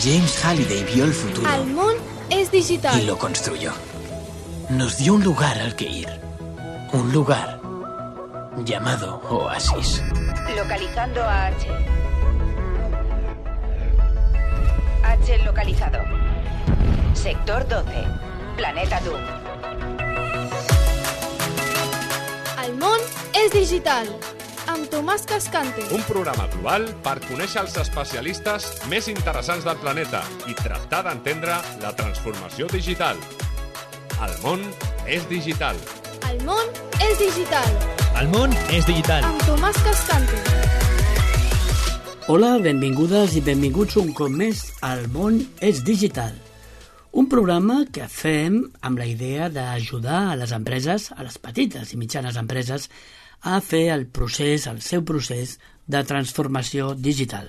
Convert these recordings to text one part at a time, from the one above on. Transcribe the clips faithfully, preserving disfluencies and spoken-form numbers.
James Halliday vio el futuro. El món es digital. Y lo construyó. Nos dio un lugar al que ir. Un lugar llamado Oasis. Localizando a H. H localizado. Sector doce. Planeta Doom. El món és digital. Amb Tomàs Cascante. Un programa global per conèixer els especialistes més interessants del planeta i tractar d'entendre la transformació digital. El món és digital. El món és digital. El món és digital. Amb Tomàs Cascante. Hola, benvingudes i benvinguts un cop més al món és digital. Un programa que fem amb la idea d'ajudar a les empreses, a les petites i mitjanes empreses, a fer el procés, el seu procés de transformació digital.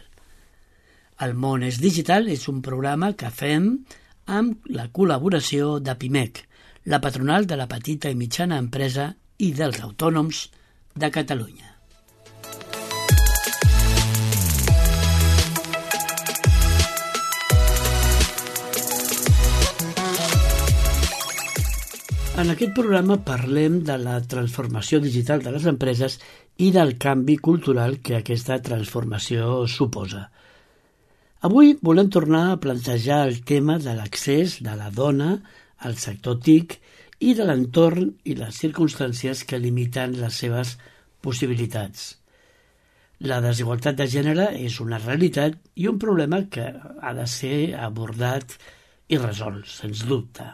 El món és digital és un programa que fem amb la col·laboració de Pimec, la patronal de la petita i mitjana empresa i dels autònoms de Catalunya. En aquest programa parlem de la transformació digital de les empreses i del canvi cultural que aquesta transformació suposa. Avui volem tornar a plantejar el tema de l'accés de la dona al sector T I C i de l'entorn i les circumstàncies que limiten les seves possibilitats. La desigualtat de gènere és una realitat i un problema que ha de ser abordat i resolt, sens dubte.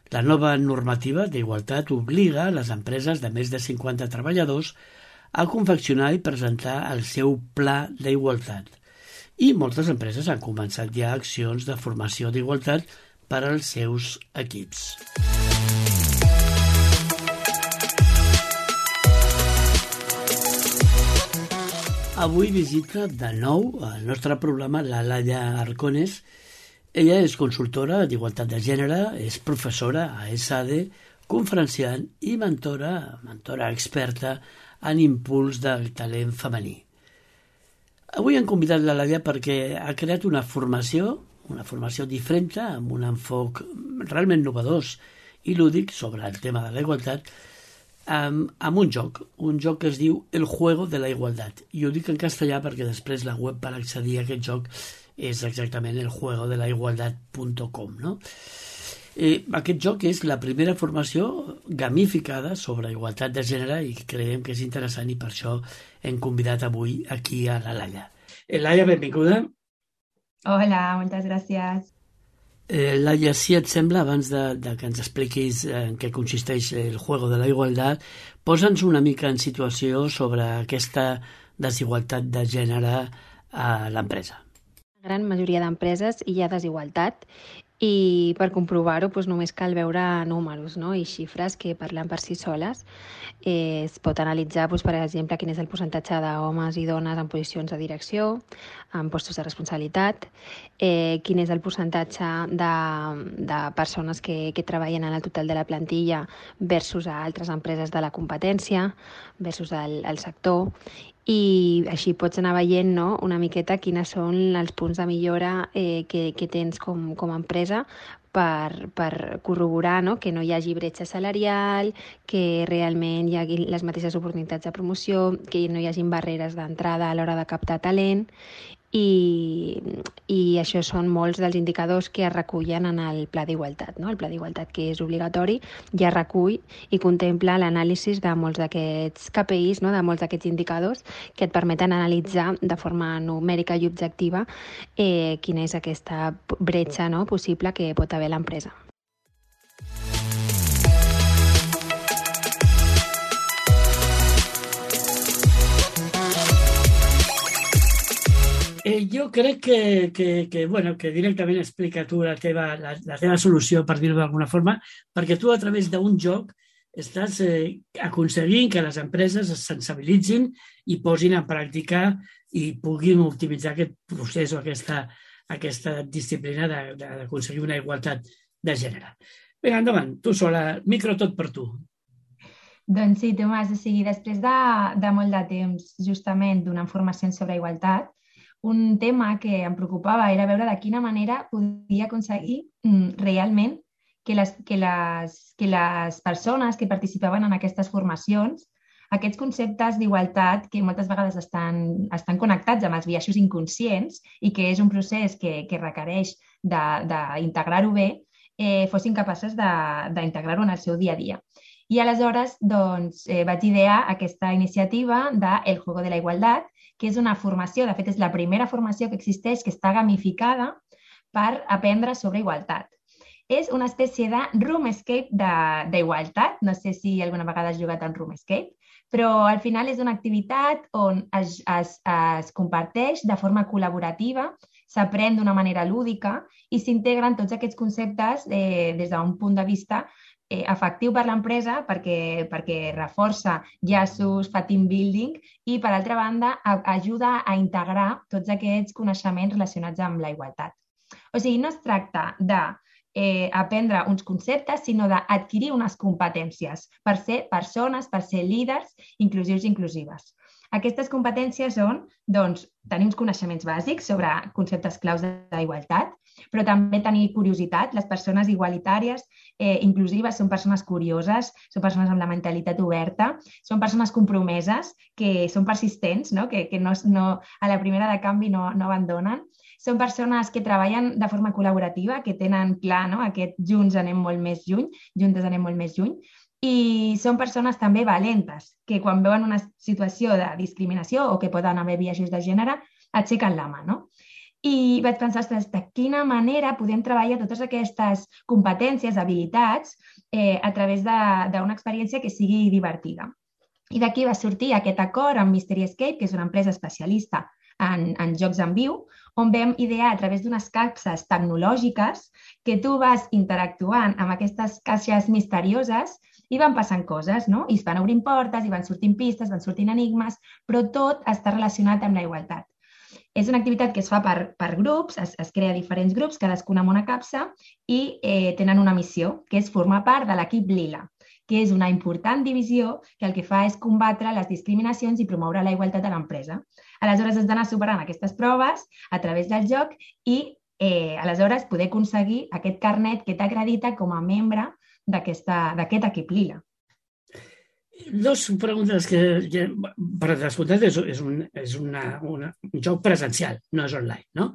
La nova normativa d'igualtat obliga les empreses de més de cinquanta treballadors a confeccionar i presentar el seu pla d'igualtat. I moltes empreses han començat ja accions de formació d'igualtat per als seus equips. Avui visita de nou al nostre programa la Laia Arcones. Ella és consultora d'igualtat de gènere, és professora a ESADE, conferenciant i mentora, mentora experta en impuls del talent femení. Avui hem convidat la Laia perquè ha creat una formació, una formació diferent, amb un enfoc realment novedós i lúdic sobre el tema de la igualtat, amb, amb un joc, un joc que es diu El Juego de la Igualdad. I ho dic en castellà perquè després la web per accedir a aquest joc és exactament el juego de la igualdad punt com, no? Eh, aquest joc és la primera formació gamificada sobre igualtat de gènere i creiem que és interessant i per això hem convidat avui aquí a la Laia. Eh, Laia, benvinguda. Hola, moltes gràcies. Eh, Laia, si et sembla, abans de, de que ens expliquis en què consisteix el juego de la igualdad, posa'ns una mica en situació sobre aquesta desigualtat de gènere a l'empresa. La gran majoria d'empreses hi ha desigualtat i per comprovar-ho doncs, només cal veure números, no? I xifres que parlen per si soles. Eh, es pot analitzar, doncs, per exemple, quin és el percentatge d'homes i dones en posicions de direcció, en postos de responsabilitat, eh, quin és el percentatge de, de persones que, que treballen en el total de la plantilla versus a altres empreses de la competència, versus el, el sector. I així pots anar veient, no, una miqueta quines són els punts de millora eh, que, que tens com, com a empresa per, per corroborar, no, que no hi hagi bretxa salarial, que realment hi hagi les mateixes oportunitats de promoció, que no hi hagin barreres d'entrada a l'hora de captar talent. I, i això són molts dels indicadors que es recullen en el Pla d'Igualtat, no? El Pla d'Igualtat, que és obligatori, ja recull i contempla l'anàlisi de molts d'aquests K P Is, no? De molts d'aquests indicadors que et permeten analitzar de forma numèrica i objectiva eh, quina és aquesta bretxa, no, possible que pot haver l'empresa. Eh, jo crec que, que, que, bueno, que directament explica tu la teva, la, la teva solució, per dir-ho d'alguna forma, perquè tu a través d'un joc estàs eh, aconseguint que les empreses es sensibilitzin i posin en pràctica i puguin optimitzar aquest procés o aquesta, aquesta disciplina d'aconseguir una igualtat de gènere. Vinga, endavant, tu sola, micro tot per tu. Doncs sí, Tomàs, o sigui, després de, de molt de temps justament donant formacions sobre igualtat, un tema que em preocupava era veure de quina manera podia aconseguir mm, realment que les, que, les, que les persones que participaven en aquestes formacions, aquests conceptes d'igualtat que moltes vegades estan, estan connectats amb els biaixos inconscients i que és un procés que, que requereix d'integrar-ho bé, eh, fossin capaces d'integrar-ho en el seu dia a dia. I aleshores doncs, eh, vaig idear aquesta iniciativa de El Juego de la Igualdad, que és una formació, de fet és la primera formació que existeix que està gamificada per aprendre sobre igualtat. És una espècie de roomescape d'igualtat, no sé si alguna vegada has jugat en roomescape, però al final és una activitat on es, es, es comparteix de forma col·laborativa, s'aprèn d'una manera lúdica i s'integren tots aquests conceptes eh, des d'un punt de vista eh, efectiu per l'empresa perquè, perquè reforça llaços, fa team building i, per altra banda, a, ajuda a integrar tots aquests coneixements relacionats amb la igualtat. O sigui, no es tracta de Eh, aprendre uns conceptes, sinó d'adquirir unes competències per ser persones, per ser líders inclusius i inclusives. Aquestes competències són doncs, tenir uns coneixements bàsics sobre conceptes claus d'igualtat, però també tenir curiositat. Les persones igualitàries, eh, inclusives, són persones curioses, són persones amb la mentalitat oberta, són persones compromeses, que són persistents, no? que, que no, no, a la primera de canvi no, no abandonen. Són persones que treballen de forma col·laborativa, que tenen clar, no? Aquest junts anem molt més lluny, juntes anem molt més lluny, i són persones també valentes, que quan veuen una situació de discriminació o que poden haver biaixos de gènere, aixequen la mà, no? I vaig pensar, ostres, de quina manera podem treballar totes aquestes competències, habilitats, eh, a través d'una experiència que sigui divertida. I d'aquí va sortir aquest acord amb Mystery Escape, que és una empresa especialista en, en jocs en viu, on vam idear a través d'unes capses tecnològiques que tu vas interactuant amb aquestes caixes misterioses i van passant coses, no? I es van obrint portes, i van sortint pistes, van sortint enigmes, però tot està relacionat amb la igualtat. És una activitat que es fa per, per grups, es, es crea diferents grups, cadascun amb una capsa, i eh, tenen una missió, que és formar part de l'equip Lila, que és una important divisió que el que fa és combatre les discriminacions i promoure la igualtat a l'empresa. Aleshores, has d'anar superant aquestes proves a través del joc i, eh, aleshores, poder aconseguir aquest carnet que t'acredita com a membre d'aquest equip Lila. Dos preguntes que, que per descomptat, és, és, un, és una, una, un joc presencial, no és online, no?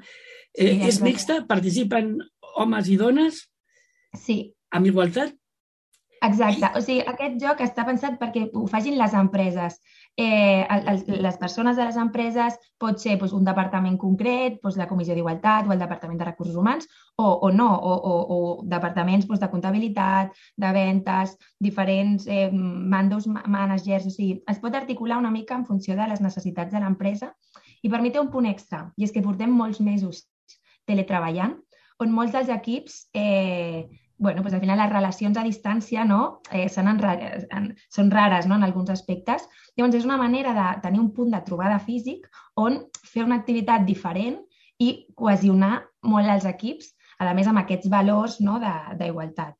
Eh, sí, és mixta? Participen homes i dones? Sí. Amb igualtat? Exacte. O sigui, aquest joc està pensat perquè ho facin les empreses. Eh, el, les persones de les empreses pot ser doncs, un departament concret, doncs, la Comissió d'Igualtat o el Departament de Recursos Humans, o, o no, o, o, o departaments doncs, de comptabilitat, de ventes, diferents eh, mandos, managers. O sigui, es pot articular una mica en funció de les necessitats de l'empresa i per mi té un punt extra, i és que portem molts mesos teletreballant, on molts dels equips eh, bueno, pues al final les relacions a distància no, eh, són, en, són rares no, en alguns aspectes. Llavors és una manera de tenir un punt de trobada físic on fer una activitat diferent i cohesionar molt els equips, a més amb aquests valors no, d'igualtat.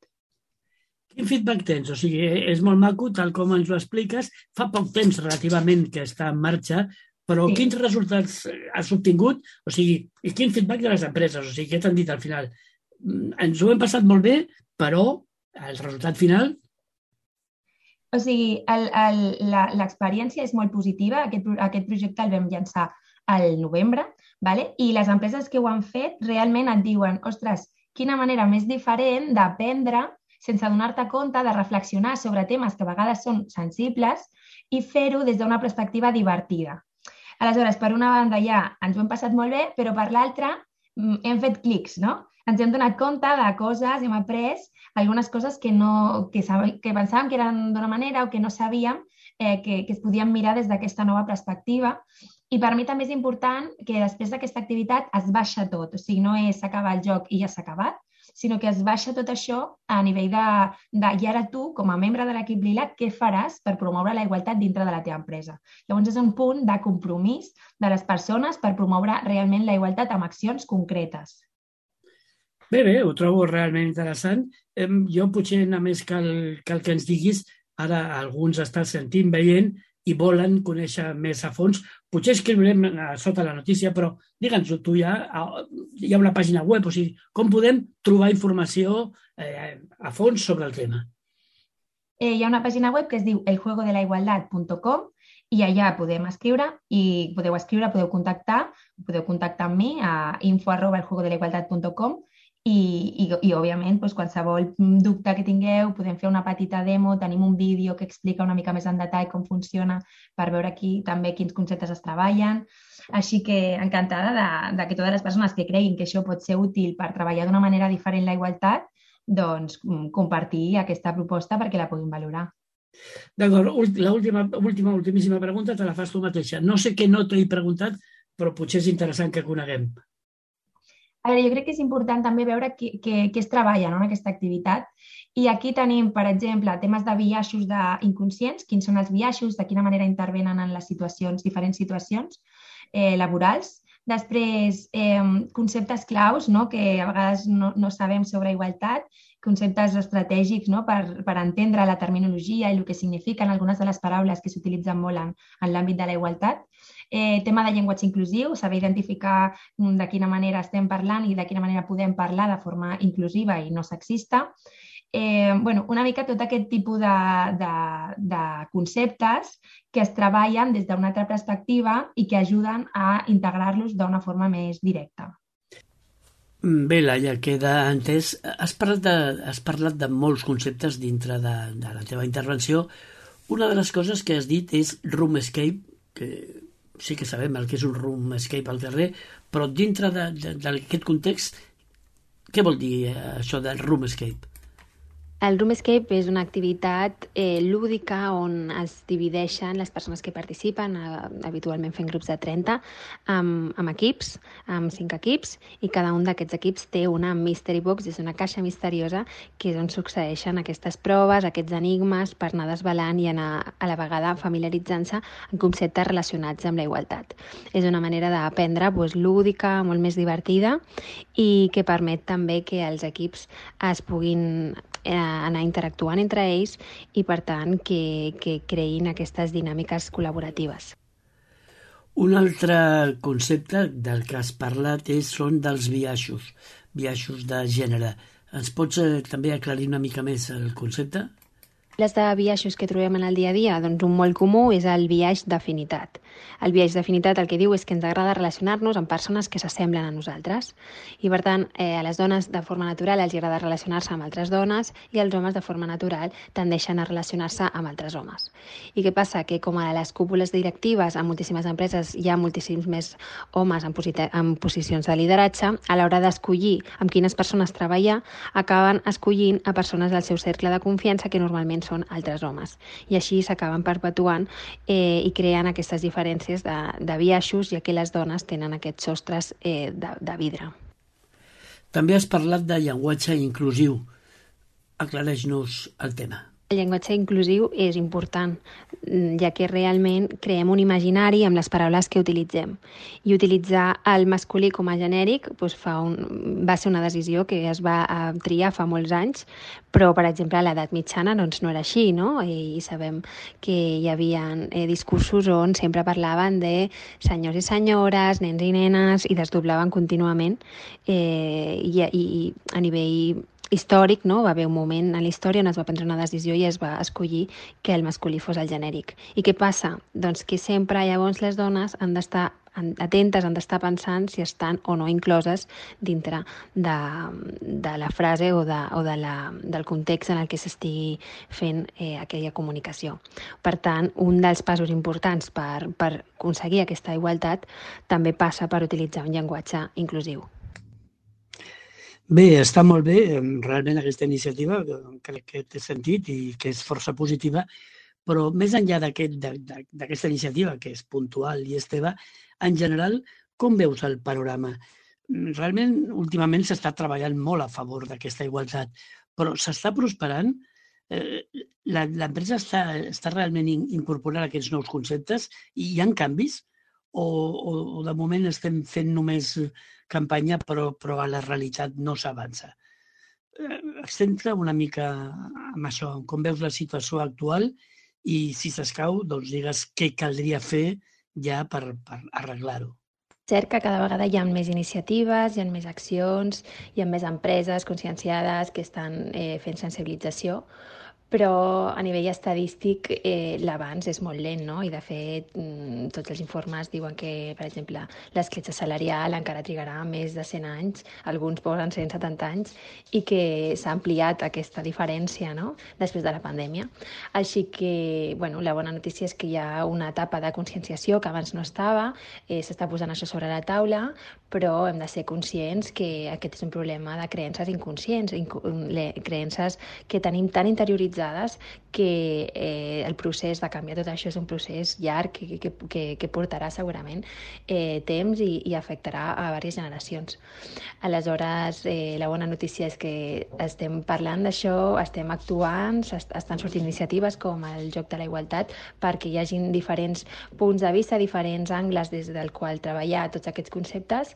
Quin feedback tens? O sigui, és molt maco, tal com ens ho expliques. Fa poc temps relativament que està en marxa, però sí. Quins resultats has obtingut? O sigui, i quin feedback de les empreses? O sigui, què t'han dit al final? Ens ho hem passat molt bé, però el resultat final... O sigui, l'experiència és molt positiva. Aquest, aquest projecte el vam llançar al novembre, vale? I les empreses que ho han fet realment et diuen ostres, quina manera més diferent d'aprendre sense donar-te compte, de reflexionar sobre temes que a vegades són sensibles i fer-ho des d'una perspectiva divertida. Aleshores, per una banda ja ens ho hem passat molt bé, però per l'altra hem fet clics, no? Ens hem donat compte de coses, hem après algunes coses que, no, que, que pensàvem que eren d'una manera o que no sabíem eh, que, que es podien mirar des d'aquesta nova perspectiva. I per mi també és important que després d'aquesta activitat es baixa tot. O sigui, no és acabar el joc i ja s'ha acabat, sinó que es baixa tot això a nivell de, de i ara tu, com a membre de l'equip Lila, què faràs per promoure la igualtat dintre de la teva empresa. Llavors és un punt de compromís de les persones per promoure realment la igualtat amb accions concretes. Bé, bé, ho trobo realment interessant. Jo potser només cal, cal que ens diguis, ara alguns estàs sentint, veient, i volen conèixer més a fons, potser escriurem sota la notícia, però digue'ns, tu ja hi ha una pàgina web, o sigui, com podem trobar informació eh, a fons sobre el tema? Eh, hi ha una pàgina web que es diu el juego de la igualdad punto com i allà podem escriure i podeu escriure, podeu contactar, podeu contactar amb mi a info arroba el juego de la igualdad punto com i, i, i òbviament, doncs, qualsevol dubte que tingueu, podem fer una petita demo, tenim un vídeo que explica una mica més en detall com funciona per veure aquí també quins conceptes es treballen. Així que encantada de, de que totes les persones que creguin que això pot ser útil per treballar d'una manera diferent la igualtat, doncs compartir aquesta proposta perquè la puguin valorar. D'acord, l'última, última, ultimíssima pregunta te la fas tu mateixa. No sé què no t'he preguntat, però potser és interessant que coneguem. A veure, jo crec que és important també veure què, què, què es treballa, no, en aquesta activitat. I aquí tenim, per exemple, temes de biaixos inconscients, quins són els biaixos, de quina manera intervenen en les situacions, diferents situacions eh, laborals. Després, eh, conceptes claus, no, que a vegades no, no sabem sobre igualtat, conceptes estratègics, no, per, per entendre la terminologia i el que signifiquen algunes de les paraules que s'utilitzen molt en, en l'àmbit de la igualtat. Eh, tema de llenguatge inclusiu, saber identificar de quina manera estem parlant i de quina manera podem parlar de forma inclusiva i no sexista. Eh, bueno, una mica tot aquest tipus de, de, de conceptes que es treballen des d'una altra perspectiva i que ajuden a integrar-los d'una forma més directa. Bé, Laia, queda entès. Has parlat de, has parlat de molts conceptes dintre de, de la teva intervenció. Una de les coses que has dit és room escape, que sí que sabem el que és un room escape al carrer, però dintre d'aquest context, què vol dir això del room escape? El Room Escape és una activitat eh, lúdica on es divideixen les persones que participen, eh, habitualment fent grups de trenta, amb, amb equips, amb cinc equips, i cada un d'aquests equips té una mystery box, és una caixa misteriosa que és on succeeixen aquestes proves, aquests enigmes, per anar desvelant i anar a la vegada familiaritzant-se en conceptes relacionats amb la igualtat. És una manera d'aprendre doncs, lúdica, molt més divertida i que permet també que els equips es puguin eh, anar interactuant entre ells i, per tant, que, que creïn aquestes dinàmiques col·laboratives. Un altre concepte del que has parlat és, són dels biaixos, biaixos de gènere. Ens pots eh, també aclarir una mica més el concepte? Les de biaixos que trobem en el dia a dia, doncs un molt comú és el biaix d'afinitat. El biaix d'afinitat el que diu és que ens agrada relacionar-nos amb persones que s'assemblen a nosaltres. I, per tant, eh, a les dones de forma natural els agrada relacionar-se amb altres dones i els homes de forma natural tendeixen a relacionar-se amb altres homes. I què passa? Que com a les cúpules directives en moltíssimes empreses hi ha moltíssims més homes en, en posicions de lideratge, a l'hora d'escollir amb quines persones treballar, acaben escollint a persones del seu cercle de confiança que normalment són altres homes. I així s'acaben perpetuant eh, i creant aquestes diferències de, de biaixos, ja que les dones tenen aquests sostres eh, de, de vidre. També has parlat de llenguatge inclusiu. Aclareix-nos el tema. El llenguatge inclusiu és important, ja que realment creem un imaginari amb les paraules que utilitzem. I utilitzar el masculí com a genèric doncs fa un, va ser una decisió que es va triar fa molts anys, però, per exemple, a l'edat mitjana doncs, no era així, no? I sabem que hi havia eh, discursos on sempre parlaven de senyors i senyores, nens i nenes, i desdoblaven contínuament. Eh, i, i a nivell històric, no? Va haver un moment en la història on es va prendre una decisió i es va escollir que el masculí fos el genèric. I què passa? Doncs que sempre llavors les dones han d'estar atentes, han d'estar pensant si estan o no incloses dintre de, de la frase o, de, o de la, del context en el que s'estigui fent eh, aquella comunicació. Per tant, un dels passos importants per, per aconseguir aquesta igualtat també passa per utilitzar un llenguatge inclusiu. Bé, està molt bé, realment, aquesta iniciativa, crec que té sentit i que és força positiva, però més enllà d'aquesta aquest, iniciativa, que és puntual i és teva, en general, com veus el panorama? Realment, últimament s'està treballant molt a favor d'aquesta igualtat, però s'està prosperant? L'empresa està, està realment incorporant aquests nous conceptes i hi ha canvis? O, o, o de moment estem fent només campanya però, però a la realitat no s'avança. Eh, Centra una mica amb això, com veus la situació actual i, si s'escau, doncs digues què caldria fer ja per, per arreglar-ho. Cert que cada vegada hi ha més iniciatives, hi ha més accions, hi ha més empreses conscienciades que estan eh, fent sensibilització, però a nivell estadístic eh, l'avanç és molt lent, no? I de fet tots els informes diuen que, per exemple, l'escletxa salarial encara trigarà més de cent anys, alguns posen cent setanta anys, i que s'ha ampliat aquesta diferència, no?, després de la pandèmia. Així que, bueno, la bona notícia és que hi ha una etapa de conscienciació que abans no estava, eh, s'està posant això sobre la taula, però hem de ser conscients que aquest és un problema de creences inconscients, inco creences que tenim tan interioritzades que eh, el procés de canviar tot això és un procés llarg que, que, que, que portarà segurament eh, temps i, i afectarà a diverses generacions. Aleshores, eh, la bona notícia és que estem parlant d'això, estem actuant, estan sortint iniciatives com el Joc de la Igualtat perquè hi hagin diferents punts de vista, diferents angles des del qual treballar tots aquests conceptes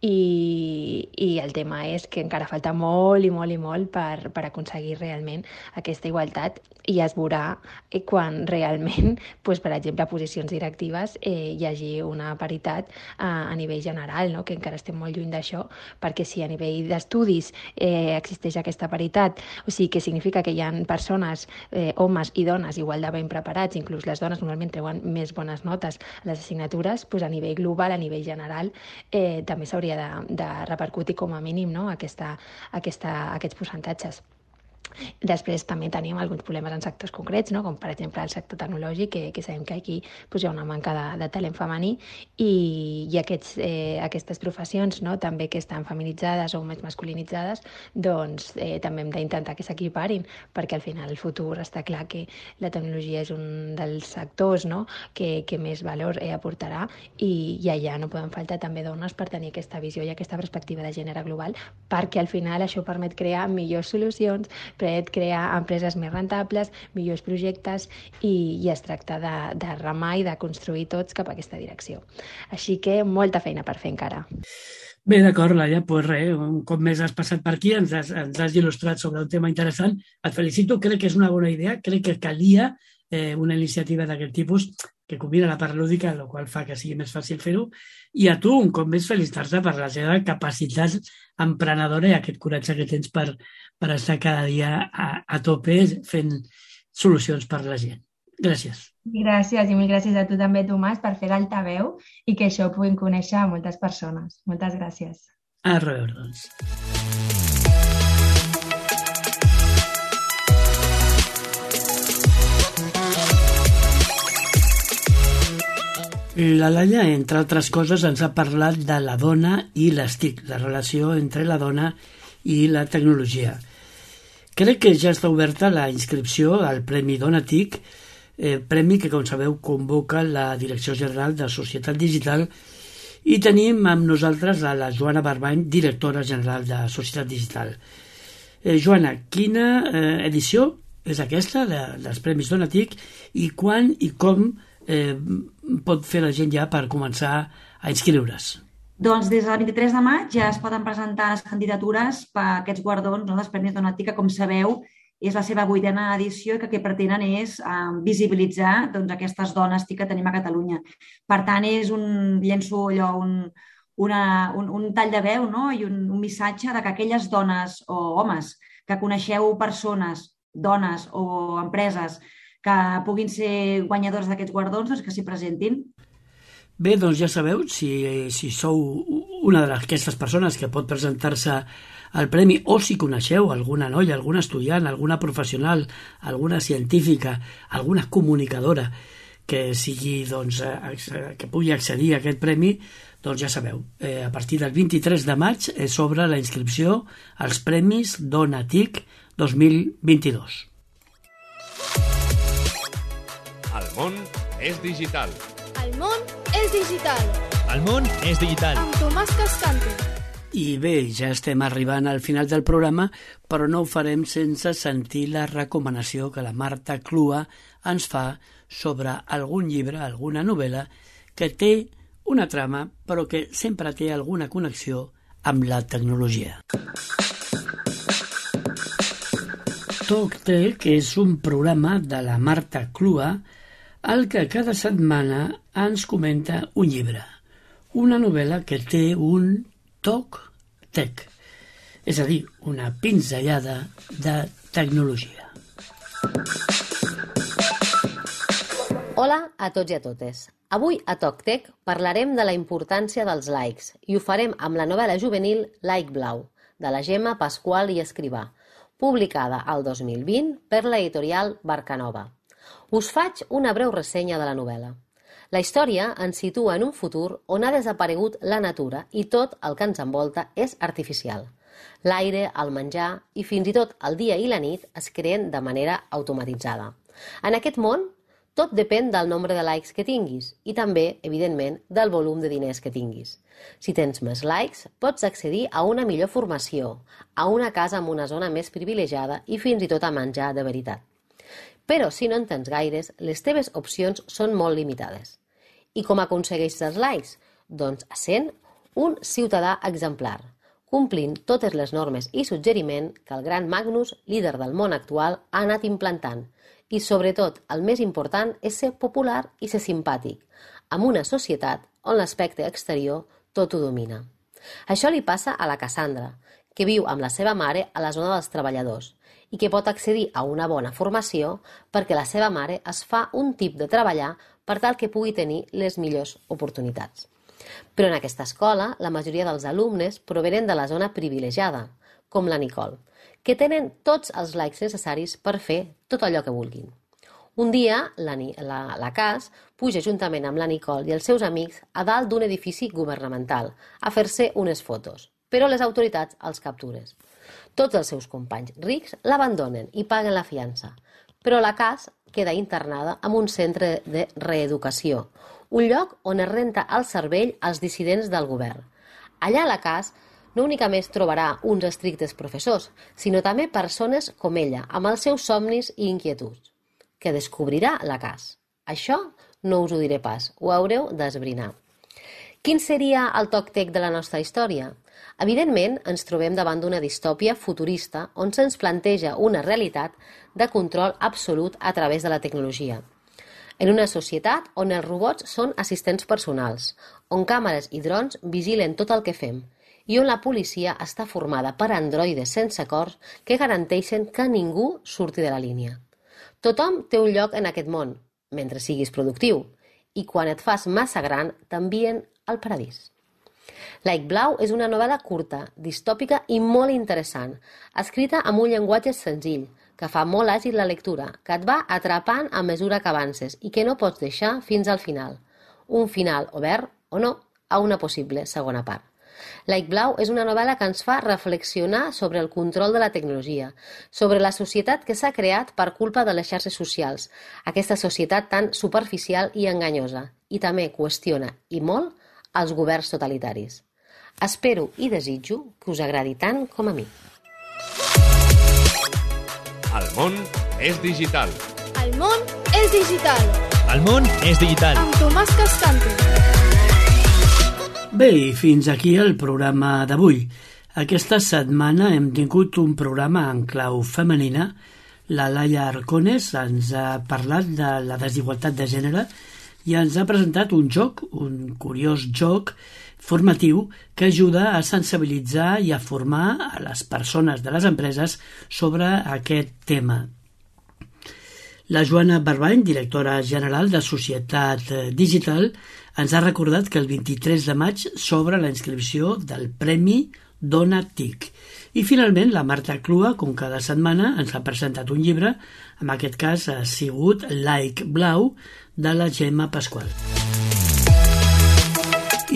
i, i el tema és que encara falta molt i molt i molt per, per aconseguir realment aquesta igualtat i es veurà eh, quan realment, doncs, per exemple, a posicions directives eh, hi hagi una paritat a, a nivell general, no?, que encara estem molt lluny d'això, perquè si a nivell d'estudis eh, existeix aquesta paritat, o sigui que significa que hi ha persones, eh, homes i dones igual de ben preparats, inclús les dones normalment treuen més bones notes a les assignatures, doncs a nivell global, a nivell general, eh, també s'hauria de, de repercutir com a mínim, no?, aquesta, aquesta, aquests percentatges. Després també tenim alguns problemes en sectors concrets, no?, com per exemple el sector tecnològic, que, que sabem que aquí pues, hi ha una manca de, de talent femení i, i aquests, eh, aquestes professions, no?, també que estan feminitzades o més masculinitzades, doncs eh, també hem d'intentar que s'equiparin, perquè al final el futur està clar que la tecnologia és un dels sectors, no?, que, que més valor eh, aportarà i, i allà no poden faltar també dones per tenir aquesta visió i aquesta perspectiva de gènere global, perquè al final això permet crear millors solucions, permet crear empreses més rentables, millors projectes i, i es tracta de, de remar i de construir tots cap a aquesta direcció. Així que molta feina per fer encara. Bé, d'acord, Laia, doncs res, un cop més has passat per aquí, ens has, ens has il·lustrat sobre un tema interessant. Et felicito, crec que és una bona idea, crec que calia eh, una iniciativa d'aquest tipus que combina la part lúdica, el qual fa que sigui més fàcil fer-ho, i a tu, un cop més, felicitar-te per la seva capacitat emprenedora i aquest coratge que tens per, per estar cada dia a, a tope fent solucions per la gent. Gràcies. Gràcies i mil gràcies a tu també, Tomàs, per fer l'altaveu i que això ho puguin conèixer a moltes persones. Moltes gràcies. A reveure, doncs. La Laia, entre altres coses, ens ha parlat de la dona i les T I C, la relació entre la dona i la tecnologia. Crec que ja està oberta la inscripció al Premi Dona T I C, eh, premi que, com sabeu, convoca la Direcció General de Societat Digital, i tenim amb nosaltres a la Joana Barbany, directora general de Societat Digital. Eh, Joana, quina eh, edició és aquesta de, dels Premis Dona T I C i quan i com eh, pot fer la gent ja per començar a inscriure's? Doncs des del vint-i-tres de maig ja es poden presentar les candidatures per a aquests guardons, no, dels Premis Dona T I C, que, com sabeu, és la seva vuitena edició i que el que pretenen és eh, visibilitzar doncs, aquestes dones T I C que tenim a Catalunya. Per tant, és un llenço allò, un, una, un, un tall de veu, no? I un, un missatge de que aquelles dones o homes que coneixeu persones, dones o empreses que puguin ser guanyadors d'aquests guardons, doncs que s'hi presentin. Bé, doncs ja sabeu, si, si sou una d'aquestes persones que pot presentar-se al premi, o si coneixeu alguna noia, alguna estudiant, alguna professional, alguna científica, alguna comunicadora que sigui, doncs, que pugui accedir a aquest premi, doncs ja sabeu, eh, a partir del vint-i-tres de maig s'obre la inscripció als Premis Dona T I C dos mil vint-i-dos. El món és digital. El món és digital. El món és digital. Amb Tomàs Cascante. I bé, ja estem arribant al final del programa, però no ho farem sense sentir la recomanació que la Marta Clua ens fa sobre algun llibre, alguna novel·la, que té una trama, però que sempre té alguna connexió amb la tecnologia. TalkTech és un programa de la Marta Clua al que cada setmana ens comenta un llibre, una novel·la que té un toc tech, és a dir, una pinzellada de tecnologia. Hola a tots i a totes. Avui a TalkTech parlarem de la importància dels likes i ho farem amb la novel·la juvenil Like Blau, de la Gemma Pasqual i Escrivà, publicada al dos mil vint per l'editorial Barcanova. Us faig una breu ressenya de la novel·la. La història ens situa en un futur on ha desaparegut la natura i tot el que ens envolta és artificial. L'aire, el menjar i fins i tot el dia i la nit es creen de manera automatitzada. En aquest món, tot depèn del nombre de likes que tinguis i també, evidentment, del volum de diners que tinguis. Si tens més likes, pots accedir a una millor formació, a una casa en una zona més privilegiada i fins i tot a menjar de veritat. Però si no en tens gaires, les teves opcions són molt limitades. I com aconsegueixes els likes? Doncs sent un ciutadà exemplar, complint totes les normes i suggeriment que el gran Magnus, líder del món actual, ha anat implantant. I, sobretot, el més important és ser popular i ser simpàtic, amb una societat on l'aspecte exterior tot ho domina. Això li passa a la Cassandra, que viu amb la seva mare a la zona dels treballadors i que pot accedir a una bona formació perquè la seva mare es fa un tip de treballar per tal que pugui tenir les millors oportunitats. Però en aquesta escola, la majoria dels alumnes provenen de la zona privilegiada, com la Nicole, que tenen tots els likes necessaris per fer tot allò que vulguin. Un dia, la, la, la Cas puja juntament amb la Nicole i els seus amics a dalt d'un edifici governamental a fer-se unes fotos, però les autoritats els captures. Tots els seus companys rics l'abandonen i paguen la fiança, però la Cas queda internada en un centre de reeducació, un lloc on es renta el cervell als dissidents del govern. Allà la Cas no únicament trobarà uns estrictes professors, sinó també persones com ella, amb els seus somnis i inquietuds, que descobrirà la Cas. Això no us ho diré pas, ho haureu d'esbrinar. Quin seria el toc tec de la nostra història? Evidentment, ens trobem davant d'una distòpia futurista on se'ns planteja una realitat de control absolut a través de la tecnologia. En una societat on els robots són assistents personals, on càmeres i drons vigilen tot el que fem, i on la policia està formada per androides sense cors que garanteixen que ningú surti de la línia. Tothom té un lloc en aquest món, mentre siguis productiu, i quan et fas massa gran t'envien al paradís. Like Blau és una novel·la curta, distòpica i molt interessant, escrita amb un llenguatge senzill, que fa molt àgil la lectura, que et va atrapant a mesura que avances i que no pots deixar fins al final. Un final obert, o no, a una possible segona part. Like Blau és una novel·la que ens fa reflexionar sobre el control de la tecnologia, sobre la societat que s'ha creat per culpa de les xarxes socials, aquesta societat tan superficial i enganyosa, i també qüestiona, i molt, els governs totalitaris. Espero i desitjo que us agradi tant com a mi. El món és digital. El món és digital. El món és digital. Amb Tomàs Cascante. Bé, i fins aquí el programa d'avui. Aquesta setmana hem tingut un programa en clau femenina. La Laia Arcones ens ha parlat de la desigualtat de gènere i ens ha presentat un joc, un curiós joc formatiu que ajuda a sensibilitzar i a formar a les persones de les empreses sobre aquest tema. La Joana Barbany, directora general de Societat Digital, ens ha recordat que el vint-i-tres de maig s'obre la inscripció del Premi Dona TIC. I finalment la Marta Clua, com cada setmana, ens ha presentat un llibre, en aquest cas ha sigut Like Blau, de la Gemma Pasqual.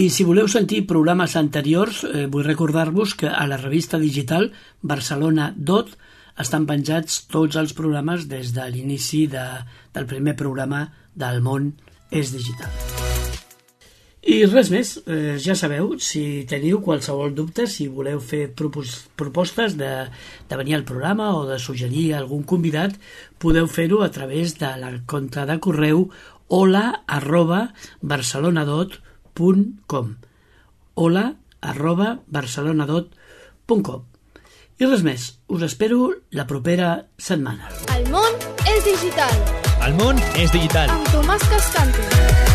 I si voleu sentir programes anteriors, eh, vull recordar-vos que a la revista digital Barcelona Dot estan penjats tots els programes des de l'inici de, del primer programa del món és digital. I res més, eh, ja sabeu, si teniu qualsevol dubte, si voleu fer propos- propostes de, de venir al programa o de suggerir algun convidat, podeu fer-ho a través de la compte de correu hola arroba barcelonadot punt com hola arroba barcelonadot punt com. I res més, us espero la propera setmana. El món és digital. El món és digital. Amb Tomàs Cascante.